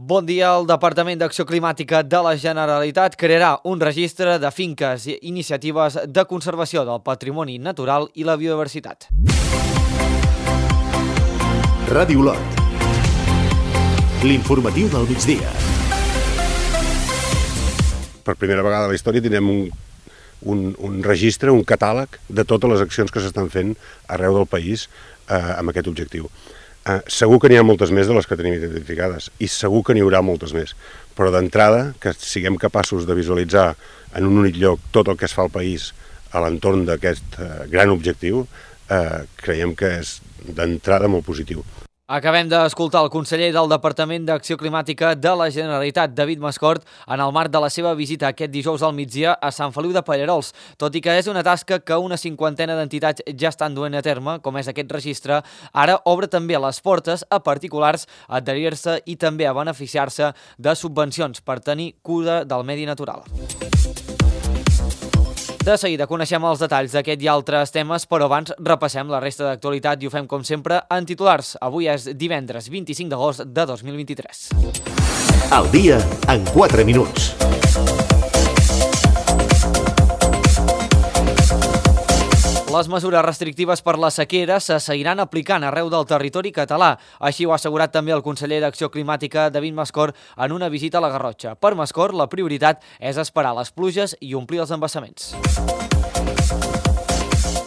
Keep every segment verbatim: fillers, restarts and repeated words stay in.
Bon dia. El Departament d'Acció Climàtica de la Generalitat crearà un registre de finques i iniciatives de conservació del patrimoni natural i la biodiversitat. Ràdio Olot. L'informatiu del migdia. Per primera vegada a la història tindrem un, un, un registre, un catàleg de totes les accions que s'estan fent arreu del país eh, amb aquest objectiu. Eh, segur que n'hi ha moltes més de les que tenim identificades i segur que n'hi haurà moltes més, però d'entrada que siguem capaços de visualitzar en un únic lloc tot el que es fa al país a l'entorn d'aquest eh, gran objectiu, eh, creiem que és d'entrada molt positiu. Acabem d'escoltar el conseller del Departament d'Acció Climàtica de la Generalitat, David Mascort, en el marc de la seva visita aquest dijous al migdia a Sant Feliu de Pallerols. Tot i que és una tasca que una cinquantena d'entitats ja estan duent a terme, com és aquest registre, ara obre també les portes a particulars a adherir-se i també a beneficiar-se de subvencions per tenir cura del medi natural. De seguida coneixem els detalls d'aquest i altres temes, però abans repassem la resta d'actualitat i ho fem com sempre en titulars. Avui és divendres vint-i-cinc d'agost de dos mil vint-i-tres. El dia en quatre minuts. Les mesures restrictives per la sequera se seguiran aplicant arreu del territori català. Així ho ha assegurat també el conseller d'Acció Climàtica, David Mascort, en una visita a la Garrotxa. Per Mascort, la prioritat és esperar les pluges i omplir els embassaments.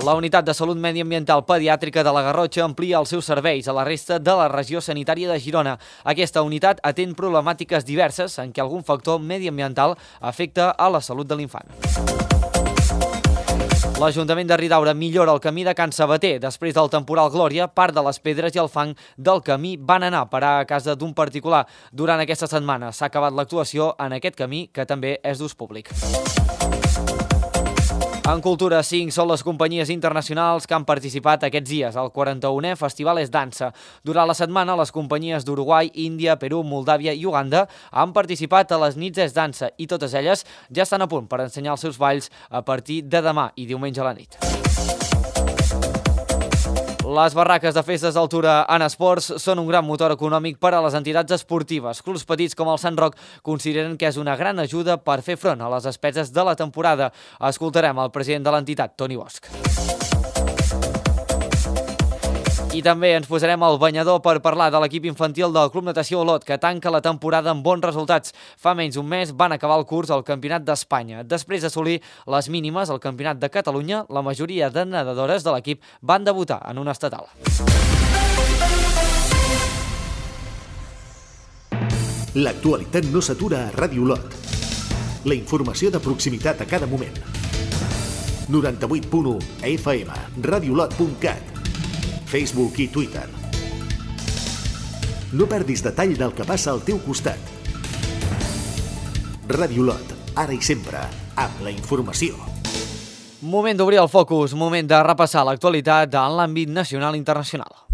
La Unitat de Salut Mediambiental Pediàtrica de la Garrotxa amplia els seus serveis a la resta de la regió sanitària de Girona. Aquesta unitat atén problemàtiques diverses en què algun factor mediambiental afecta a la salut de l'infant. L'Ajuntament de Ridaura millora el camí de Can Sabater. Després del temporal Glòria, part de les pedres i el fang del camí van anar a parar a casa d'un particular. Durant aquesta setmana s'ha acabat l'actuació en aquest camí, que també és d'ús públic. En cultura, cinc són les companyies internacionals que han participat aquests dies al quaranta-unè Festival Es Dansa. Durant la setmana, les companyies d'Uruguai, Índia, Perú, Moldàvia i Uganda han participat a les nits Es Dansa i totes elles ja estan a punt per ensenyar els seus balls a partir de demà i diumenge a la nit. Les barraques de festes d'altura en esports són un gran motor econòmic per a les entitats esportives. Clubs petits com el Sant Roc consideren que és una gran ajuda per fer front a les despeses de la temporada. Escoltarem el president de l'entitat, Toni Bosch. I també ens posarem al banyador per parlar de l'equip infantil del Club Natació Olot, que tanca la temporada amb bons resultats. Fa menys d'un mes van acabar el curs al Campionat d'Espanya. Després d'assolir les mínimes al Campionat de Catalunya, la majoria de nedadores de l'equip van debutar en un estatal. L'actualitat no s'atura a Ràdio Olot. La informació de proximitat a cada moment. noranta-vuit punt u F M, radiolot punt cat. Facebook i Twitter. No perdis detall del que passa al teu costat. Ràdio Olot, ara i sempre, amb la informació. Moment d'obrir el focus, moment de repassar l'actualitat en l'àmbit nacional i internacional.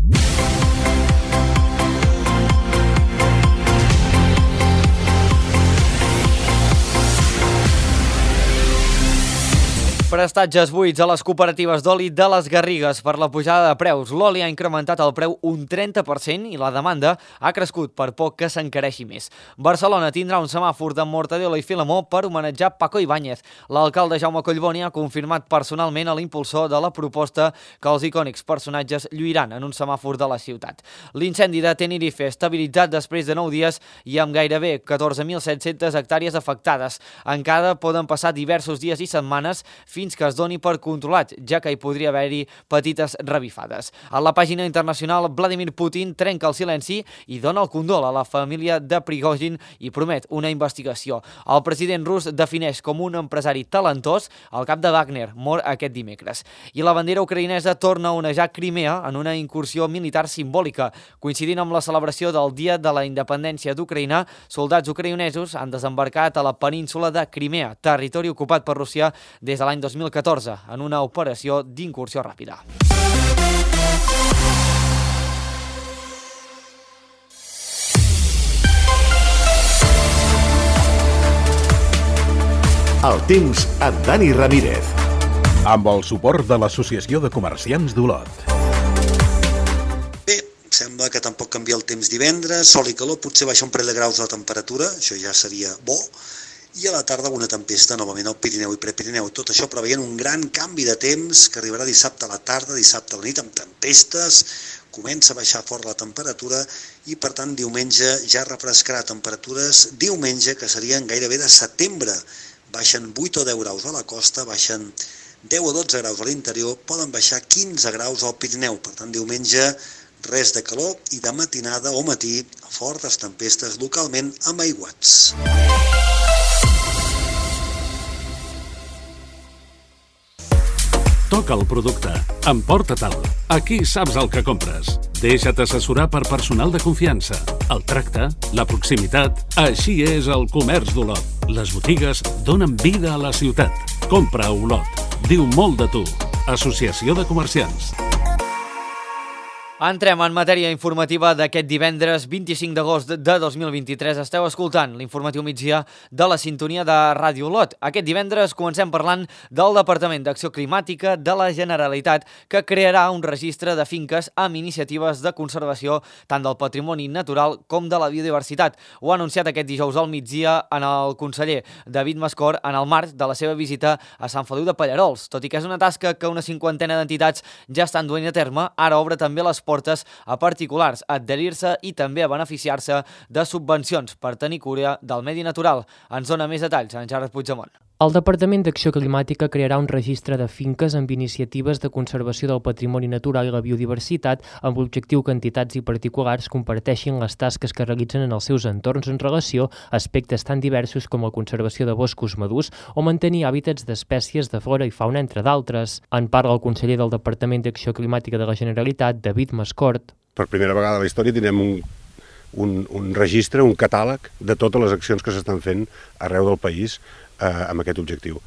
Prestatges buits a les cooperatives d'oli de les Garrigues per la pujada de preus. L'oli ha incrementat el preu un trenta per cent i la demanda ha crescut per poc que s'encareixi més. Barcelona tindrà un semàfor de Mortadelo i Filemó per homenatjar Paco Ibáñez. L'alcalde Jaume Collboni ha confirmat personalment a l'impulsor de la proposta que els icònics personatges lluiran en un semàfor de la ciutat. L'incendi de Tenerife estabilitzat després de nou dies i amb gairebé catorze mil set-centes hectàrees afectades. Encara poden passar diversos dies i setmanes fins fins que es doni per controlat, ja que hi podria haver-hi petites revifades. A la pàgina internacional, Vladimir Putin trenca el silenci i dona el condol a la família de Prigozhin i promet una investigació. El president rus defineix com un empresari talentós el cap de Wagner, mort aquest dimecres. I la bandera ucraïnesa torna a onejar Crimea en una incursió militar simbòlica. Coincidint amb la celebració del Dia de la Independència d'Ucraïna, soldats ucraïnesos han desembarcat a la península de Crimea, territori ocupat per Rússia des de l'any dos mil catorze, en una operació d'incursió ràpida. El temps amb Dani Ramírez. Amb el suport de l'Associació de Comerciants d'Olot. Bé, sembla que tampoc canvia el temps divendres, sol i calor, potser baixa un parell de graus la temperatura, això ja seria bo, i a la tarda una tempesta novament al Pirineu i Prepirineu. Tot això preveient un gran canvi de temps que arribarà dissabte a la tarda, dissabte a la nit amb tempestes, comença a baixar fort la temperatura i per tant diumenge ja refrescarà temperatures diumenge que serien gairebé de setembre. Baixen vuit o deu graus a la costa, baixen deu o dotze graus a l'interior, poden baixar quinze graus al Pirineu. Per tant diumenge res de calor i de matinada o matí fortes tempestes localment amb aiguats. Toca el producte. Emporta-te'l. Aquí saps el que compres. Deixa't assessorar per personal de confiança. El tracte, la proximitat... Així és el comerç d'Olot. Les botigues donen vida a la ciutat. Compra a Olot. Diu molt de tu. Associació de Comerciants. Entrem en matèria informativa d'aquest divendres vint-i-cinc d'agost de dos mil vint-i-tres. Esteu escoltant l'informatiu migdia de la sintonia de Ràdio Olot. Aquest divendres comencem parlant del Departament d'Acció Climàtica de la Generalitat, que crearà un registre de finques amb iniciatives de conservació tant del patrimoni natural com de la biodiversitat. Ho ha anunciat aquest dijous al migdia en el conseller David Mascor en el marc de la seva visita a Sant Feliu de Pallerols. Tot i que és una tasca que una cinquantena d'entitats ja estan duent a terme, ara obre també les portes a particulars a adherir-se i també a beneficiar-se de subvencions per tenir cura del medi natural. Ens dona més detalls en Gerard Puigdemont. El Departament d'Acció Climàtica crearà un registre de finques amb iniciatives de conservació del patrimoni natural i la biodiversitat amb l'objectiu que entitats i particulars comparteixin les tasques que realitzen en els seus entorns en relació a aspectes tan diversos com la conservació de boscos madurs o mantenir hàbitats d'espècies de flora i fauna, entre d'altres. En parla el conseller del Departament d'Acció Climàtica de la Generalitat, David Mascort. Per primera vegada a la història tindrem un, un, un registre, un catàleg de totes les accions que s'estan fent arreu del país eh, amb aquest objectiu.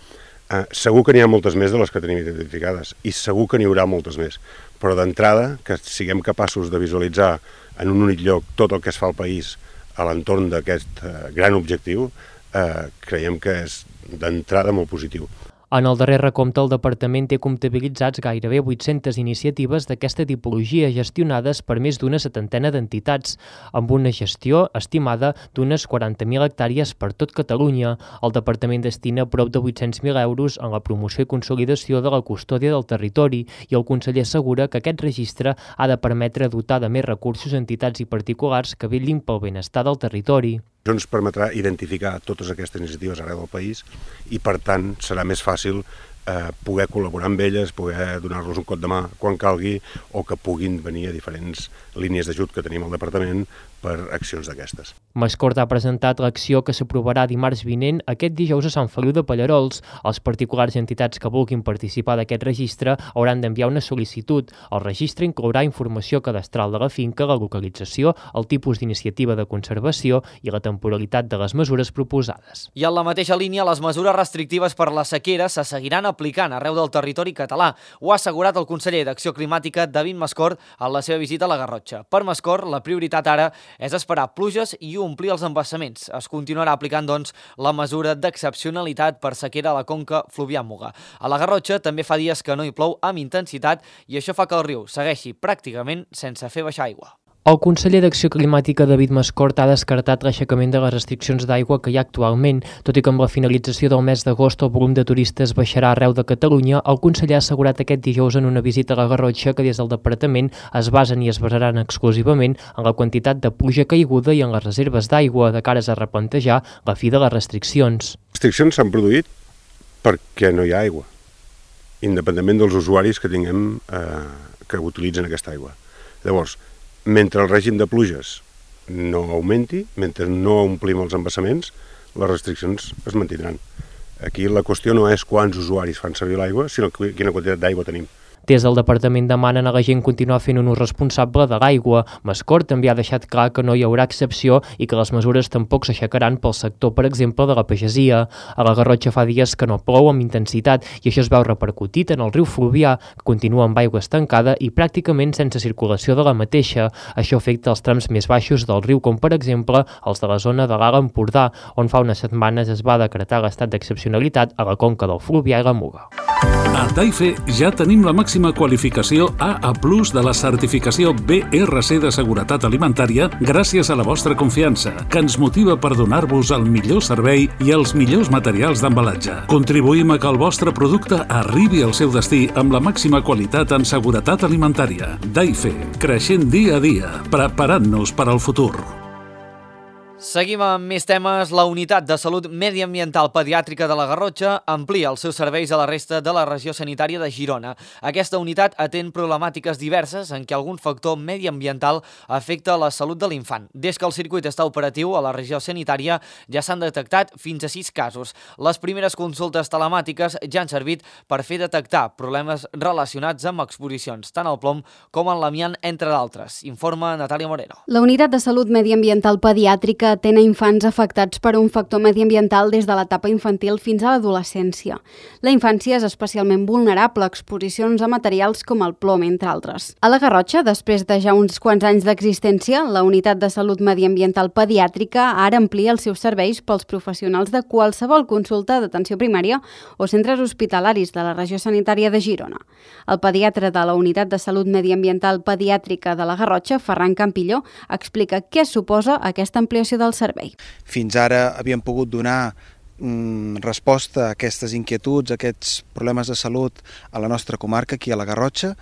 Eh, segur que n'hi ha moltes més de les que tenim identificades i segur que n'hi haurà moltes més, però d'entrada que siguem capaços de visualitzar en un únic lloc tot el que es fa al país a l'entorn d'aquest eh, gran objectiu, eh, creiem que és d'entrada molt positiu. En el darrer recompte, el Departament té comptabilitzats gairebé vuit-centes iniciatives d'aquesta tipologia gestionades per més d'una setantena d'entitats, amb una gestió estimada d'unes quaranta mil hectàrees per tot Catalunya. El Departament destina prop de vuit-cents mil euros en la promoció i consolidació de la custòdia del territori i el conseller assegura que aquest registre ha de permetre dotar de més recursos a entitats i particulars que vetllin pel benestar del territori. Això ens permetrà identificar totes aquestes iniciatives arreu del país i, per tant, serà més fàcil eh, poder col·laborar amb elles, poder donar-los un cop de mà quan calgui o que puguin venir a diferents línies d'ajut que tenim al departament per accions d'aquestes. Mascort ha presentat l'acció que s'aprovarà dimarts vinent aquest dijous a Sant Feliu de Pallerols. Els particulars i entitats que vulguin participar d'aquest registre hauran d'enviar una sol·licitud. El registre inclourà informació cadastral de la finca, la localització, el tipus d'iniciativa de conservació i la temporalitat de les mesures proposades. I en la mateixa línia, les mesures restrictives per la sequera se seguiran aplicant arreu del territori català. Ho ha assegurat el conseller d'Acció Climàtica, David Mascort, en la seva visita a la Garrotxa. Per Mascort, la prioritat ara és esperar pluges i omplir els embassaments. Es continuarà aplicant, doncs, la mesura d'excepcionalitat per sequera a la conca Fluvià-Muga. A la Garrotxa també fa dies que no hi plou amb intensitat i això fa que el riu segueixi pràcticament sense fer baixar aigua. El conseller d'Acció Climàtica, David Mascort, ha descartat l'aixecament de les restriccions d'aigua que hi ha actualment. Tot i que amb la finalització del mes d'agost el volum de turistes baixarà arreu de Catalunya, el conseller ha assegurat aquest dijous en una visita a la Garrotxa que des del departament es basen i es basaran exclusivament en la quantitat de pluja caiguda i en les reserves d'aigua de cares a replantejar la fi de les restriccions. Les restriccions s'han produït perquè no hi ha aigua, independentment dels usuaris que tinguem eh, que utilitzen aquesta aigua. Llavors, mentre el règim de pluges no augmenti, mentre no omplim els embassaments, les restriccions es mantindran. Aquí la qüestió no és quants usuaris fan servir l'aigua, sinó quina quantitat d'aigua tenim. Des del departament demanen a la gent continuar fent un ús responsable de l'aigua. Mascort també ha deixat clar que no hi haurà excepció i que les mesures tampoc s'aixecaran pel sector, per exemple, de la pagesia. A la Garrotxa fa dies que no plou amb intensitat i això es veu repercutit en el riu Fluvià, que continua amb aigua estancada i pràcticament sense circulació de la mateixa. Això afecta els trams més baixos del riu, com per exemple els de la zona de l'Alt Empordà, on fa unes setmanes es va decretar l'estat d'excepcionalitat a la conca del Fluvià i la Muga. A Taife ja tenim la màxima màxima qualificació A A plus de la certificació B R C de Seguretat Alimentària gràcies a la vostra confiança, que ens motiva per donar-vos el millor servei i els millors materials d'embalatge. Contribuïm a que el vostre producte arribi al seu destí amb la màxima qualitat en seguretat alimentària. Daife, creixent dia a dia, preparant-nos per al futur. Seguim amb més temes. La Unitat de Salut Mediambiental Pediàtrica de la Garrotxa amplia els seus serveis a la resta de la regió sanitària de Girona. Aquesta unitat atén problemàtiques diverses en què algun factor mediambiental afecta la salut de l'infant. Des que el circuit està operatiu a la regió sanitària ja s'han detectat fins a sis casos. Les primeres consultes telemàtiques ja han servit per fer detectar problemes relacionats amb exposicions, tant al plom com en l'amiant, entre d'altres. Informa Natàlia Moreno. La Unitat de Salut Mediambiental Pediàtrica atén a infants afectats per un factor mediambiental des de l'etapa infantil fins a l'adolescència. La infància és especialment vulnerable a exposicions a materials com el plom, entre altres. A la Garrotxa, després de ja uns quants anys d'existència, la Unitat de Salut Mediambiental Pediàtrica ara amplia els seus serveis pels professionals de qualsevol consulta d'atenció primària o centres hospitalaris de la regió sanitària de Girona. El pediatre de la Unitat de Salut Mediambiental Pediàtrica de la Garrotxa, Ferran Campilló, explica què suposa aquesta ampliació del servei. Fins ara havíem pogut donar mm, resposta a aquestes inquietuds, a aquests problemes de salut a la nostra comarca, aquí a la Garrotxa,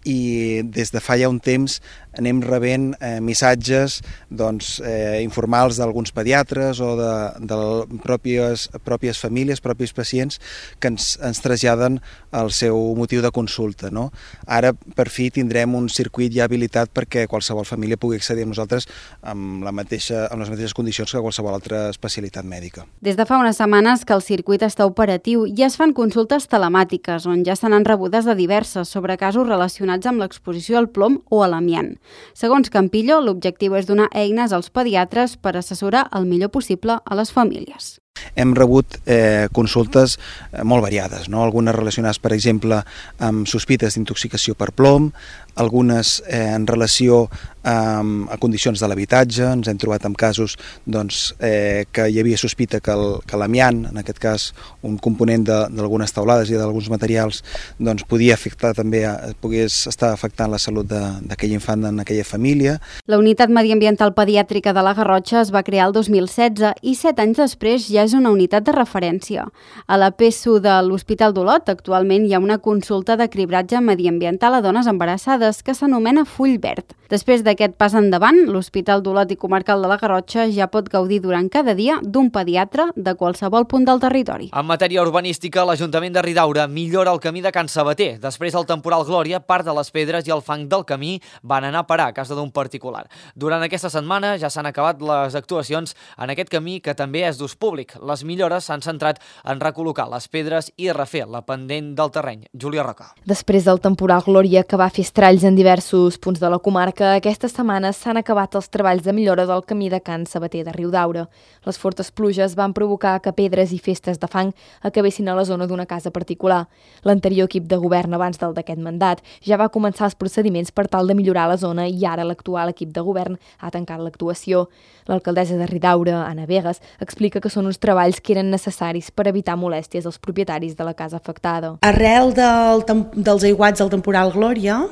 i des de fa ja un temps anem rebent eh, missatges doncs, eh, informals d'alguns pediatres o de, de pròpies, pròpies famílies, propis pacients que ens, ens traslladen el seu motiu de consulta. No? Ara, per fi, tindrem un circuit ja habilitat perquè qualsevol família pugui accedir a nosaltres amb, la mateixa, amb les mateixes condicions que qualsevol altra especialitat mèdica. Des de fa unes setmanes que el circuit està operatiu i es fan consultes telemàtiques on ja se n'han rebudes de diverses sobre casos relacionats amb l'exposició al plom o a l'amiant. Segons Campillo, l'objectiu és donar eines als pediatres per assessorar el millor possible a les famílies. Hem rebut eh, consultes eh, molt variades, no? Algunes relacionades, per exemple, amb sospites d'intoxicació per plom, algunes eh, en relació amb, a condicions de l'habitatge. Ens hem trobat amb casos doncs, eh, que hi havia sospita que, el, que l'amiant, en aquest cas un component d'algunes teulades i d'alguns materials, doncs, podia afectar també, pogués estar afectant la salut d'aquell infant en aquella família. La Unitat Mediambiental Pediàtrica de la Garrotxa es va crear el dos mil setze i set anys després ja és una unitat de referència. A la P E S U de l'Hospital d'Olot actualment hi ha una consulta de cribratge mediambiental a dones embarassades que s'anomena Full Verd. Després d'aquest pas endavant, l'Hospital d'Olot i Comarcal de la Garrotxa ja pot gaudir durant cada dia d'un pediatre de qualsevol punt del territori. En matèria urbanística, l'Ajuntament de Ridaura millora el camí de Can Sabater. Després del temporal Glòria, part de les pedres i el fang del camí van anar a parar a casa d'un particular. Durant aquesta setmana ja s'han acabat les actuacions en aquest camí que també és d'ús públic. Les millores s'han centrat en recol·locar les pedres i refer la pendent del terreny. Júlia Roca. Després del temporal Glòria, que va fer estralls en diversos punts de la comarca, aquesta setmana s'han acabat els treballs de millora del camí de Can Sabater de Riudaura. Les fortes pluges van provocar que pedres i festes de fang acabessin a la zona d'una casa particular. L'anterior equip de govern abans del d'aquest mandat ja va començar els procediments per tal de millorar la zona i ara l'actual equip de govern ha tancat l'actuació. L'alcaldessa de Riudaura, Anna Vegas, explica que són uns treballs que eren necessaris per evitar molèsties als propietaris de la casa afectada. Arrel del, dels aiguats del temporal Glòria,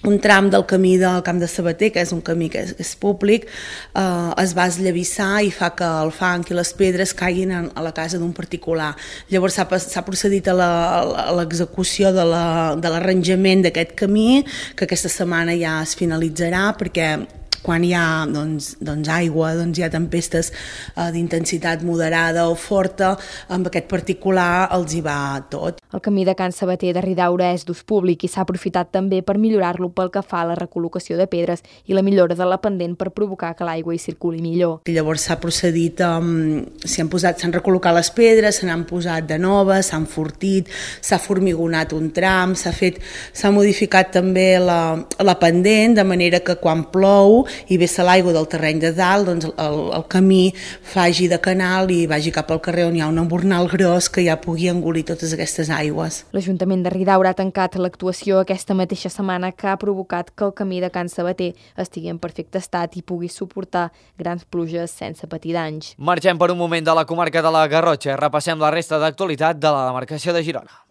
un tram del camí del Camp de Sabater, que és un camí que és, que és públic, eh, es va esllavissar i fa que el fang i les pedres caiguin a, a la casa d'un particular. Llavors s'ha procedit a l'execució de l'arranjament d'aquest camí, que aquesta setmana ja es finalitzarà, perquè quan hi ha doncs, doncs aigua, doncs hi ha tempestes eh, d'intensitat moderada o forta, amb aquest particular els hi va tot. El camí de Can Sabater de Riudaura és d'ús públic i s'ha aprofitat també per millorar-lo pel que fa a la recol·locació de pedres i la millora de la pendent per provocar que l'aigua hi circuli millor. Llavors s'ha procedit, um, s'han posat, s'han recol·locat les pedres, se n'han posat de noves, s'han fortit, s'ha formigonat un tram, s'ha fet, s'ha modificat també la, la pendent, de manera que quan plou i vessa l'aigua del terreny de dalt, doncs el, el camí faci de canal i vagi cap al carrer on hi ha un embornal gros que ja pugui engolir totes aquestes aigües. L'Ajuntament de Riudaura ha tancat l'actuació aquesta mateixa setmana, que ha provocat que el camí de Can Sabater estigui en perfecte estat i pugui suportar grans pluges sense patir danys. Marxem per un moment de la comarca de la Garrotxa i repassem la resta d'actualitat de la demarcació de Girona.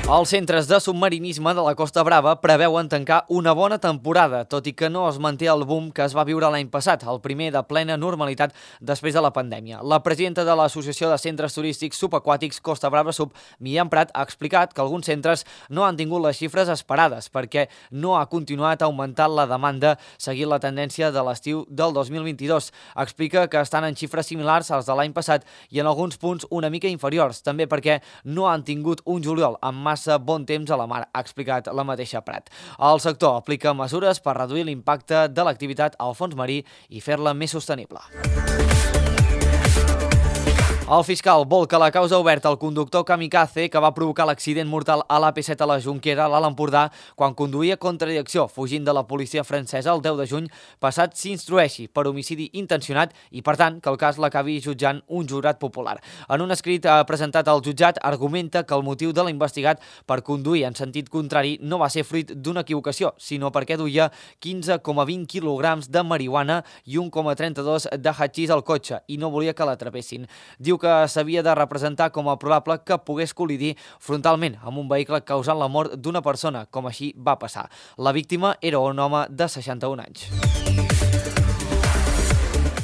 Els centres de submarinisme de la Costa Brava preveuen tancar una bona temporada, tot i que no es manté el boom que es va viure l'any passat, el primer de plena normalitat després de la pandèmia. La presidenta de l'Associació de Centres Turístics Subaquàtics Costa Brava Sub, Míriam Prat, ha explicat que alguns centres no han tingut les xifres esperades perquè no ha continuat augmentant la demanda seguint la tendència de l'estiu del dos mil vint-i-dos. Explica que estan en xifres similars als de l'any passat i en alguns punts una mica inferiors, també perquè no han tingut un juliol amb massa bon temps a la mar, ha explicat la mateixa Prat. El sector aplica mesures per reduir l'impacte de l'activitat al fons marí i fer-la més sostenible. El fiscal vol que la causa oberta al conductor kamikaze que va provocar l'accident mortal a l'A P set a la Jonquera, a l'Alt Empordà, quan conduïa contra direcció fugint de la policia francesa el deu de juny passat s'instrueixi per homicidi intencionat i, per tant, que el cas l'acabi jutjant un jurat popular. En un escrit presentat al jutjat, argumenta que el motiu de l'investigat per conduir en sentit contrari no va ser fruit d'una equivocació, sinó perquè duia quinze coma vint quilograms de marihuana i un coma trenta-dos de hatxís al cotxe i no volia que l'atrapessin. Diu que s'havia de representar com a probable que pogués col·lidir frontalment amb un vehicle causant la mort d'una persona, com així va passar. La víctima era un home de seixanta-un anys.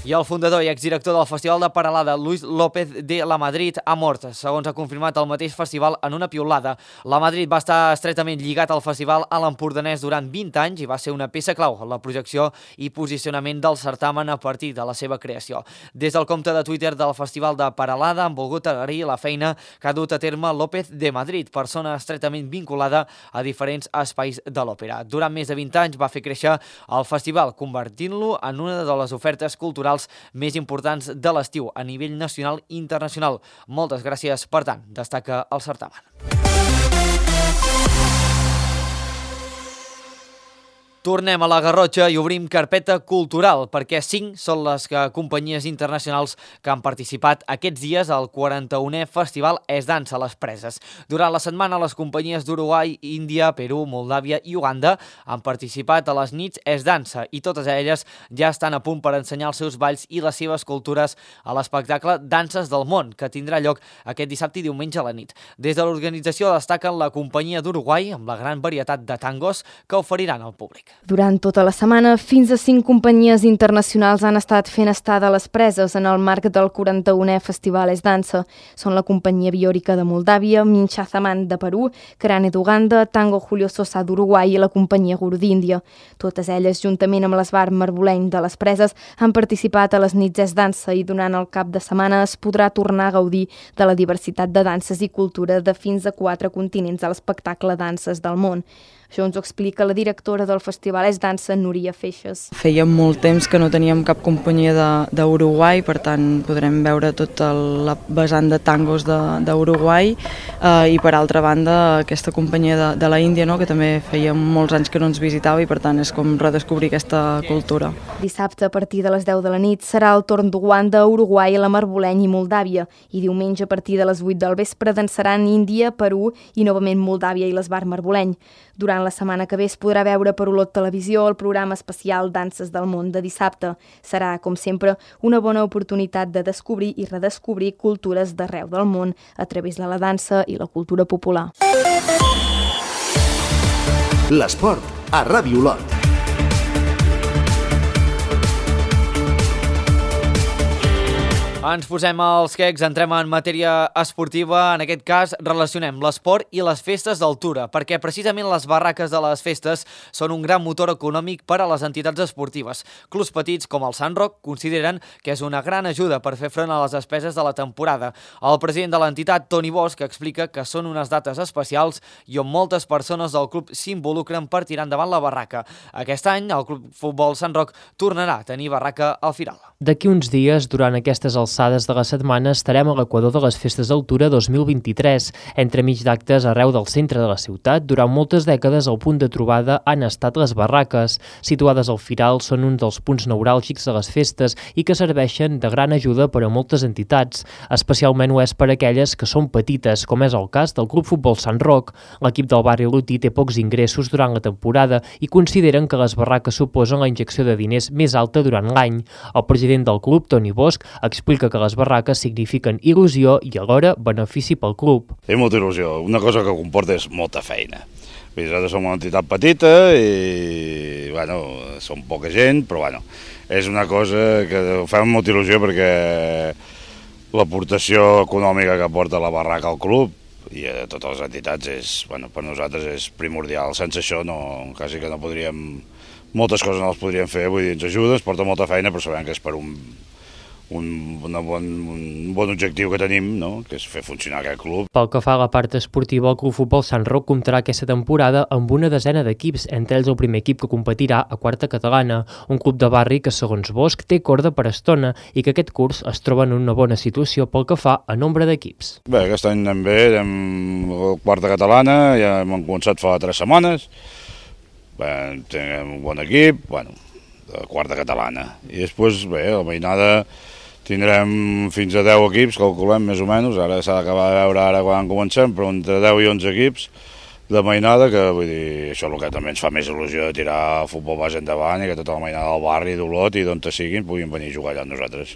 I el fundador i exdirector del Festival de Peralada, Luis López de La Madrid, ha mort, segons ha confirmat el mateix festival en una piulada. La Madrid va estar estretament lligat al festival a l'Empordanès durant vint anys i va ser una peça clau en la projecció i posicionament del certamen a partir de la seva creació. Des del compte de Twitter del Festival de Peralada han volgut agrair la feina que ha dut a terme López de Madrid, persona estretament vinculada a diferents espais de l'òpera. Durant més de vint anys va fer créixer el festival, convertint-lo en una de les ofertes culturals més importants de l'estiu a nivell nacional i internacional. Moltes gràcies, per tant, destaca el certamen. Tornem a la Garrotxa i obrim carpeta cultural, perquè cinc són les companyies internacionals que han participat aquests dies al quaranta-unè Festival Es Dansa a les Preses. Durant la setmana, les companyies d'Uruguai, Índia, Perú, Moldàvia i Uganda han participat a les nits Es Dansa i totes elles ja estan a punt per ensenyar els seus balls i les seves cultures a l'espectacle Danses del Món, que tindrà lloc aquest dissabte i diumenge a la nit. Des de l'organització destaquen la companyia d'Uruguai, amb la gran varietat de tangos que oferiran al públic. Durant tota la setmana, fins a cinc companyies internacionals han estat fent estada a les Preses en el marc del quaranta-unè Festival Es Dansa. Són la companyia Biòrica de Moldàvia, Minchazaman de Perú, Crane d'Uganda, Tango Julio Sosa d'Uruguai i la companyia Guru d'Índia. Totes elles, juntament amb l'Esbar Marboleny de les Preses, han participat a les nits Es Dansa i durant el cap de setmana es podrà tornar a gaudir de la diversitat de danses i cultura de fins a quatre continents a l'espectacle Danses del Món. Això ens ho explica la directora del Festival Es Dansa, Núria Feixes. Feia molt temps que no teníem cap companyia d'Uruguai, per tant podrem veure tota la vessant de tangos d'Uruguai eh, i per altra banda aquesta companyia de, de la Índia, no? Que també feia molts anys que no ens visitava i per tant és com redescobrir aquesta cultura. Dissabte a partir de les deu de la nit serà el torn d'Uganda, Uruguai, la Marboleny i Moldàvia i diumenge a partir de les vuit del vespre dansaran Índia, Perú i novament Moldàvia i l'Esbar Marboleny. Durant la setmana que ve es podrà veure per Olot Televisió el programa especial Danses del Món de dissabte. Serà, com sempre, una bona oportunitat de descobrir i redescobrir cultures d'arreu del món a través de la dansa i la cultura popular. L'esport a Ràdio Olot. Ens posem els quecs, entrem en matèria esportiva. En aquest cas, relacionem l'esport i les festes d'altura, perquè precisament les barraques de les festes són un gran motor econòmic per a les entitats esportives. Clubs petits com el Sant Roc consideren que és una gran ajuda per fer front a les despeses de la temporada. El president de l'entitat, Toni Bosch, explica que són unes dates especials i on moltes persones del club s'involucren per tirar endavant la barraca. Aquest any, el Club Futbol Sant Roc tornarà a tenir barraca al Firal. D'aquí uns dies, durant aquestes alçades de la setmana, estarem a l'equador de les Festes d'Altura dos mil vint-i-tres. Entremig d'actes arreu del centre de la ciutat, durant moltes dècades el punt de trobada han estat les barraques. Situades al Firal, són un dels punts neuràlgics de les festes i que serveixen de gran ajuda per a moltes entitats. Especialment ho és per a aquelles que són petites, com és el cas del Club Futbol Sant Roc. L'equip del barri Lutí té pocs ingressos durant la temporada i consideren que les barraques suposen la injecció de diners més alta durant l'any. El president del club, Toni Bosch, explica explica que les barraques signifiquen il·lusió i alhora benefici pel club. És molta il·lusió, una cosa que comporta és molta feina. Nosaltres som una entitat petita i, bueno, som poca gent, però, bueno, és una cosa que fa molta il·lusió perquè l'aportació econòmica que aporta la barraca al club i a totes les entitats és, bueno, per nosaltres és primordial. Sense això no, quasi que no podríem, moltes coses no les podríem fer, vull dir, ens ajuda, ens porta molta feina, però sabem que és per un, un, una bon, un bon objectiu que tenim, no? Que és fer funcionar aquest club. Pel que fa a la part esportiva, el Club Futbol Sant Roc comptarà aquesta temporada amb una desena d'equips, entre ells el primer equip que competirà a quarta catalana, un club de barri que, segons Bosch, té corda per estona i que aquest curs es troba en una bona situació pel que fa a nombre d'equips. Bé, aquest any anem bé, anem a quarta catalana, ja hem començat fa tres setmanes, bé, tenim un bon equip, bueno, de quarta catalana, i després, bé, la mainada tindrem fins a deu equips, calculem més o menys, ara s'ha d'acabar de veure ara quan comencem, però entre deu i onze equips de mainada, que vull dir, això és el que també ens fa més il·lusió de tirar el futbol base endavant i que tota la mainada del barri, d'Olot i d'on te siguin puguin venir a jugar allà amb nosaltres.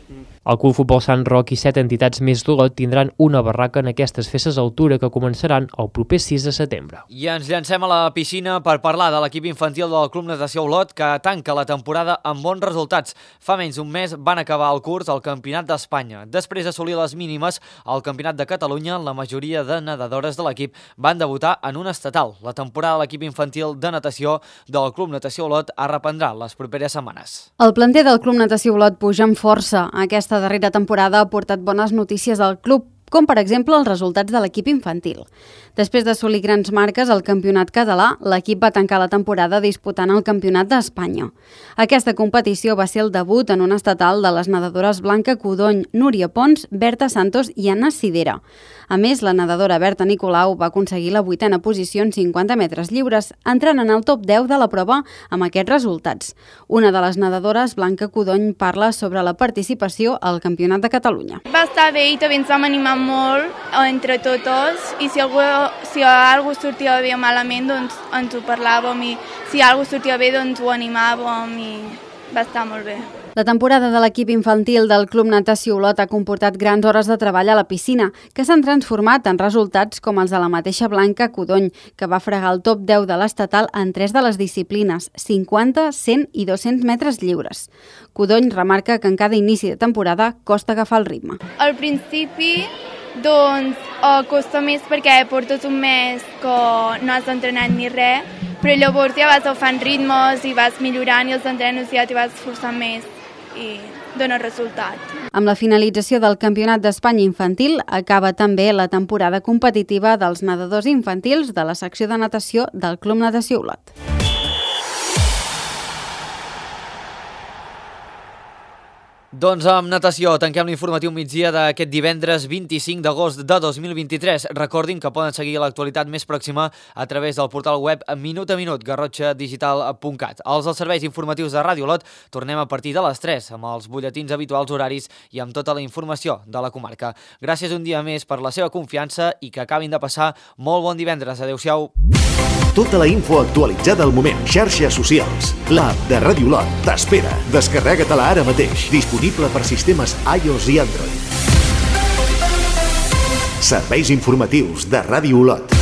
El Club Futbol Sant Roc i set entitats més d'Olot tindran una barraca en aquestes festes d'altura que començaran el proper sis de setembre. I ens llancem a la piscina per parlar de l'equip infantil del Club Natació Olot que tanca la temporada amb bons resultats. Fa menys d'un mes van acabar el curs al Campionat d'Espanya. Després d'assolir les mínimes al Campionat de Catalunya, la majoria de nedadores de l'equip van debutar en una estatal. La temporada de l'equip infantil de natació del Club Natació Olot es reprendrà les properes setmanes. El planter del Club Natació Olot puja amb força. Aquesta darrera temporada ha portat bones notícies al club, com per exemple els resultats de l'equip infantil. Després d'assolir grans marques al campionat català, l'equip va tancar la temporada disputant el campionat d'Espanya. Aquesta competició va ser el debut en un estatal de les nedadores Blanca Codony, Núria Pons, Berta Santos i Anna Sidera. A més, la nedadora Berta Nicolau va aconseguir la vuitena posició en cinquanta metres lliures, entrant en el top deu de la prova amb aquests resultats. Una de les nedadores, Blanca Codony, parla sobre la participació al Campionat de Catalunya. Va estar bé i també ens vam animar molt entre totes i si algú, si algú sortia bé o malament doncs ens ho parlàvem i si algú sortia bé doncs ho animàvem i va estar molt bé. La temporada de l'equip infantil del Club Natació Olot ha comportat grans hores de treball a la piscina, que s'han transformat en resultats com els de la mateixa Blanca Codony, que va fregar el top deu de l'estatal en tres de les disciplines, cinquanta, cent i dos-cents metres lliures. Codony remarca que en cada inici de temporada costa agafar el ritme. Al principi doncs eh, costa més perquè portes un mes que no has entrenat ni res, però llavors ja vas agafant ritmes i vas millorant i els entrenos ja t'hi vas esforçant més i dona resultat. Amb la finalització del Campionat d'Espanya infantil acaba també la temporada competitiva dels nedadors infantils de la secció de natació del Club Natació Olot. Doncs amb natació tanquem l'informatiu migdia d'aquest divendres vint-i-cinc d'agost de dos mil vint-i-tres. Recordin que poden seguir l'actualitat més pròxima a través del portal web minut a minut, garrotxa digital punt cat. Els dels serveis informatius de Ràdio Olot tornem a partir de les tres amb els butlletins habituals horaris i amb tota la informació de la comarca. Gràcies un dia més per la seva confiança i que acabin de passar molt bon divendres. Adéu-siau. Tota la info actualitzada al moment. Xarxes socials. L'app de Ràdio Olot t'espera. Descarrega-te-la ara mateix. Disponible per sistemes iOS i Android. Serveis informatius de Ràdio Olot.